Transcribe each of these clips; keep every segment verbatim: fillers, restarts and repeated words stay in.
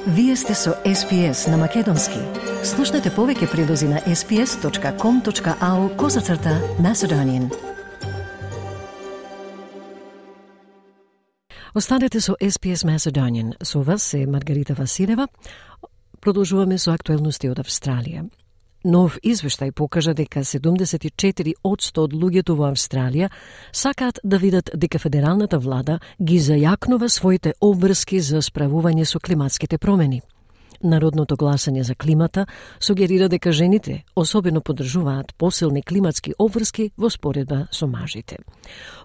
Вие сте со Ес Пи Ес на Македонски. Слушнете повеќе прилози на ес пи ес точка ком точка ау козацрта Macedonian. Останете со Ес Пи Ес Macedonian. Со вас е Маргарита Василева. Продолжуваме со актуелности од Австралија. Нов извештај покажа дека седумдесет и четири одсто од луѓето во Австралија сакаат да видат дека федералната влада ги зајакнува своите обврски за справување со климатските промени. Народното гласање за климата сугерира дека жените особено поддржуваат посилни климатски обврски во споредба со мажите.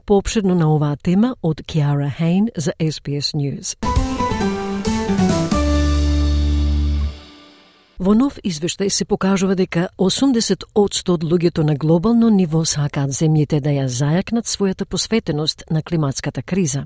Поопширно на оваа тема од Киара Хейн за Ес Пи Ес News. Во нов извештај се покажува дека осумдесет одсто од луѓето на глобално ниво сакаат земјите да ја зајакнат својата посветеност на климатската криза.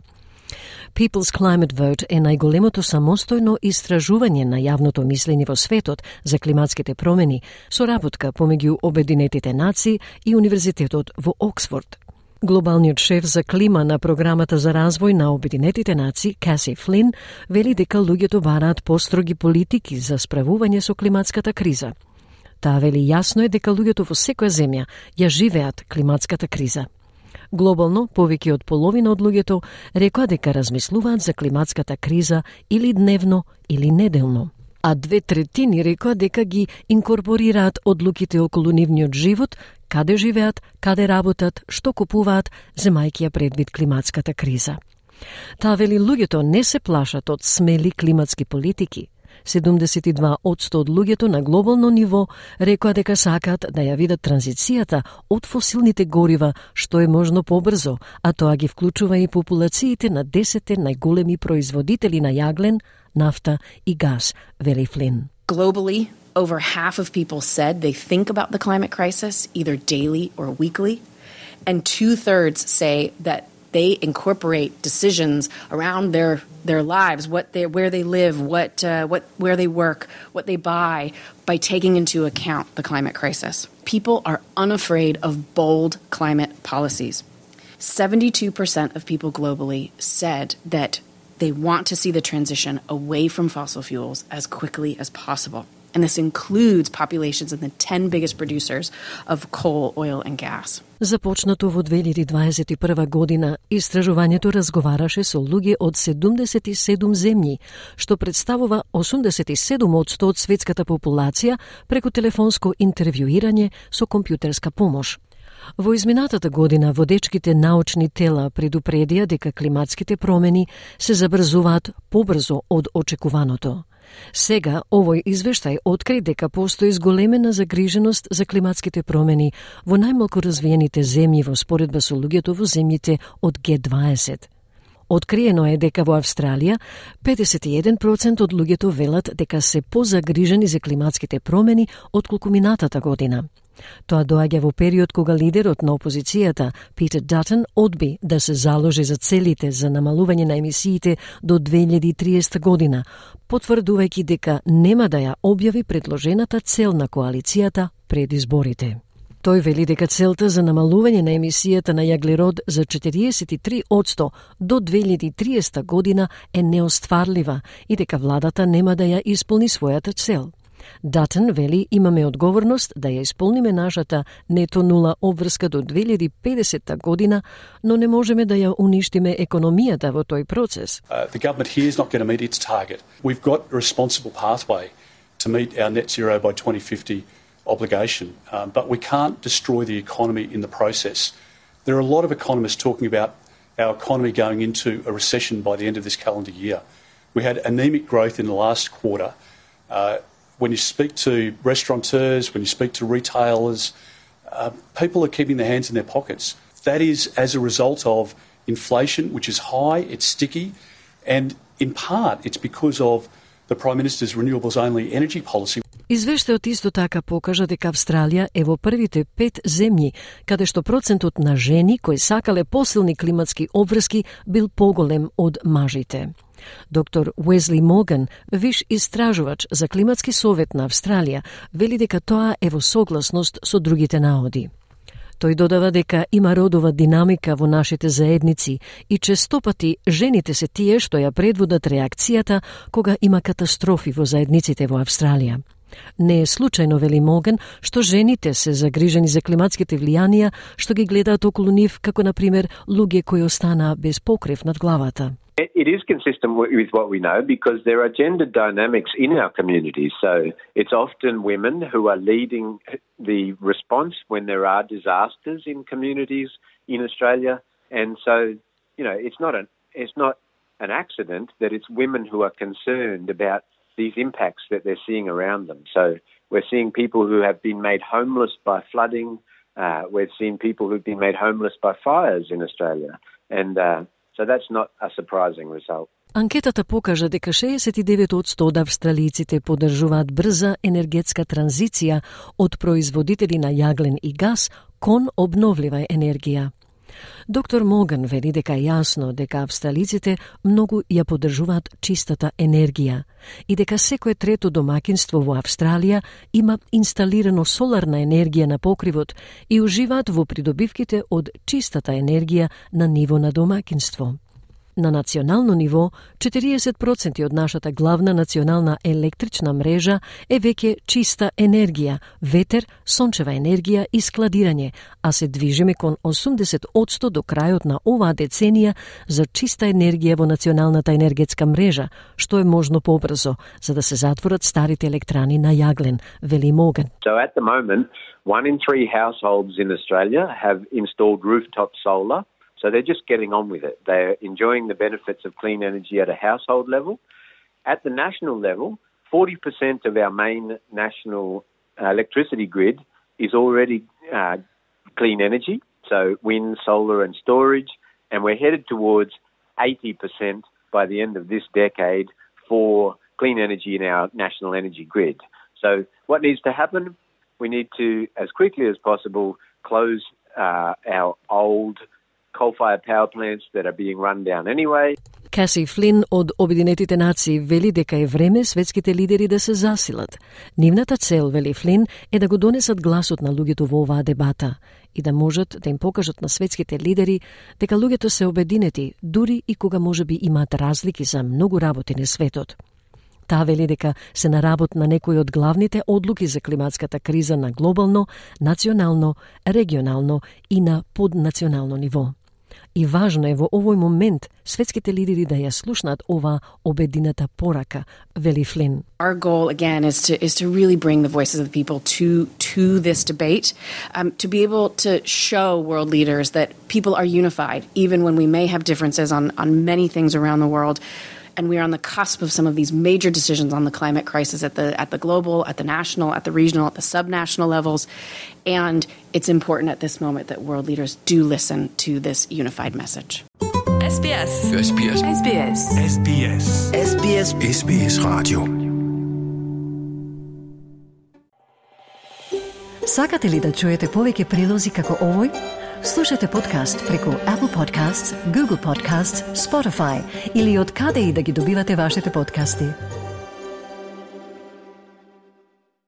People's Climate Vote е најголемото самостојно истражување на јавното мислење во светот за климатските промени, соработка помеѓу Обединетите нации и Универзитетот во Оксфорд. Глобалниот шеф за клима на програмата за развој на Обединетите нации, Каси Флин, вели дека луѓето бараат построги политики за справување со климатската криза. Таа вели јасно е дека луѓето во секоја земја ја живеат климатската криза. Глобално, повеќе од половина од луѓето рекоа дека размислуваат за климатската криза или дневно или неделно, а две третини рекоа дека ги инкорпорираат одлуките околу нивниот живот, каде живеат, каде работат, што купуваат, земајќи ја предвид климатската криза. Таа вели луѓето не се плашат од смели климатски политики. седумдесет и два одсто од луѓето на глобално ниво рекоа дека сакаат да ја видат транзицијата од фосилните горива што е можно побрзо, а тоа ги вклучува и популациите на десетте најголеми производители на јаглен, нафта и газ, вели Флин. Globally, over half of people said they think about the climate crisis either daily or weekly, and two-thirds say that they incorporate decisions around their their lives, what they where they live, what uh, what where they work, what they buy, by taking into account the climate crisis. People are unafraid of bold climate policies. seventy-two percent of people globally said that they want to see the transition away from fossil fuels as quickly as possible. And this includes populations in the ten biggest producers of coal, oil and gas. Започнато во две илјади дваесет и прва година, истражувањето разговараше со луѓе од седумдесет и седум земји, што представува осумдесет и седум одсто од светската популација преку телефонско интервјуирање со компјутерска помош. Во изминатата година водечките научни тела предупредија дека климатските промени се забрзуваат побрзо од очекуваното. Сега, овој извештај откри дека постои зголемена загриженост за климатските промени во најмалку развиените земји во споредба со луѓето во земјите од Ге дваесет. Откриено е дека во Австралија педесет и еден проценти од луѓето велат дека се позагрижени за климатските промени отколку минатата година. Тоа доаѓа во период кога лидерот на опозицијата, Питер Датон, одби да се заложи за целите за намалување на емисиите до две илјади и триесета година, потврдувајќи дека нема да ја објави предложената цел на коалицијата пред изборите. Тој вели дека целта за намалување на емисијата на јаглерод за четириесет и три одсто до две илјади и триесета година е неостварлива и дека владата нема да ја исполни својата цел. Датон вели имаме одговорност да ја исполниме нашата нето нула обврска до две илјади и педесета година, но не можеме да ја уништиме економијата во тој процес. Uh, the government here is not going to meet its target. We've got a responsible pathway to meet our net zero by twenty fifty obligation, um, but we can't destroy the economy in the process. There are a lot of economists talking about our economy going into a recession by the end of this calendar year. We had anemic growth in the last quarter. Uh, When you speak to restaurateurs, when you speak to retailers, uh, people are keeping their hands in their pockets. That is as a result of inflation, which is high, it's sticky, and in part it's because of the Prime Minister's renewables-only energy policy. Извештајот исто така покажа дека Австралија е во првите пет земји каде што процентот на жени кои сакале посилни климатски обврски бил поголем од мажите. Доктор Уезли Моган, виш истражувач за климатски совет на Австралија, вели дека тоа е во согласност со другите наоди. Тој додава дека има родова динамика во нашите заедници и честопати жените се тие што ја предводат реакцијата кога има катастрофи во заедниците во Австралија. Не е случајно, вели Моган, што жените се загрижени за климатските влијанија што ги гледаат околу нив, како на пример луѓе кои останаа без покрив над главата. It is consistent with what we know because there are gender dynamics in our communities. So it's often women who are leading the response when there are disasters in communities in Australia. And so, you know, it's not an, it's not an accident that it's women who are concerned about these impacts that they're seeing around them. So we're seeing people who have been made homeless by flooding. Uh, we're seeing people who've been made homeless by fires in Australia. And uh, so that's not a surprising result. Анкетата покажа дека шеесет и девет одсто од австралијците поддржуваат брза енергетска транзиција од производители на јаглен и газ кон обновлива енергија. Доктор Моган вели дека е јасно дека австралиците многу ја поддржуваат чистата енергија и дека секое трето домаќинство во Австралија има инсталирано соларна енергија на покривот и уживаат во придобивките од чистата енергија на ниво на домаќинство. На национално ниво, четириесет проценти од нашата главна национална електрична мрежа е веќе чиста енергија, ветер, сончева енергија и складирање, а се движиме кон осумдесет одсто до крајот на оваа деценија за чиста енергија во националната енергетска мрежа, што е можно побрзо, за да се затворат старите електрани на јаглен, вели Моган. So at the moment, one in three households in Australia have installed rooftop solar. So they're just getting on with it. They're enjoying the benefits of clean energy at a household level. At the national level, forty percent of our main national uh, electricity grid is already uh, clean energy, so wind, solar and storage, and we're headed towards eighty percent by the end of this decade for clean energy in our national energy grid. So what needs to happen? We need to, as quickly as possible, close uh, our old coal-fired power plants that are being run down anyway. Каси Флин од Обединетите нации вели дека е време светските лидери да се засилат. Нивната цел, вели Флин, е да го донесат гласот на луѓето во оваа дебата и да можат да им покажат на светските лидери дека луѓето се обединети, дури и кога можеби имаат разлики за многу работи на светот. Таа вели дека се на работ на некои од главните одлуки за климатската криза на глобално, национално, регионално и на поднационално ниво. И важно е во овој момент светските лидери да ја слушнат ова обединета порака, вели Флин. Our goal again is to is to really bring the voices of the people to to this debate, um, to be able to show world leaders that people are unified even when we may have differences on on many things around the world. And we are on the cusp of some of these major decisions on the climate crisis at the at the global, at the national, at the regional, at the subnational levels. And it's important at this moment that world leaders do listen to this unified message. S B S. S B S. S B S. S B S. S B S. S B S Radio. Сакате ли да чуете повеќе прилози како овој? Слушате подкаст преку Apple Podcasts, Google Podcasts, Spotify или од каде и да ги добивате вашите подкасти.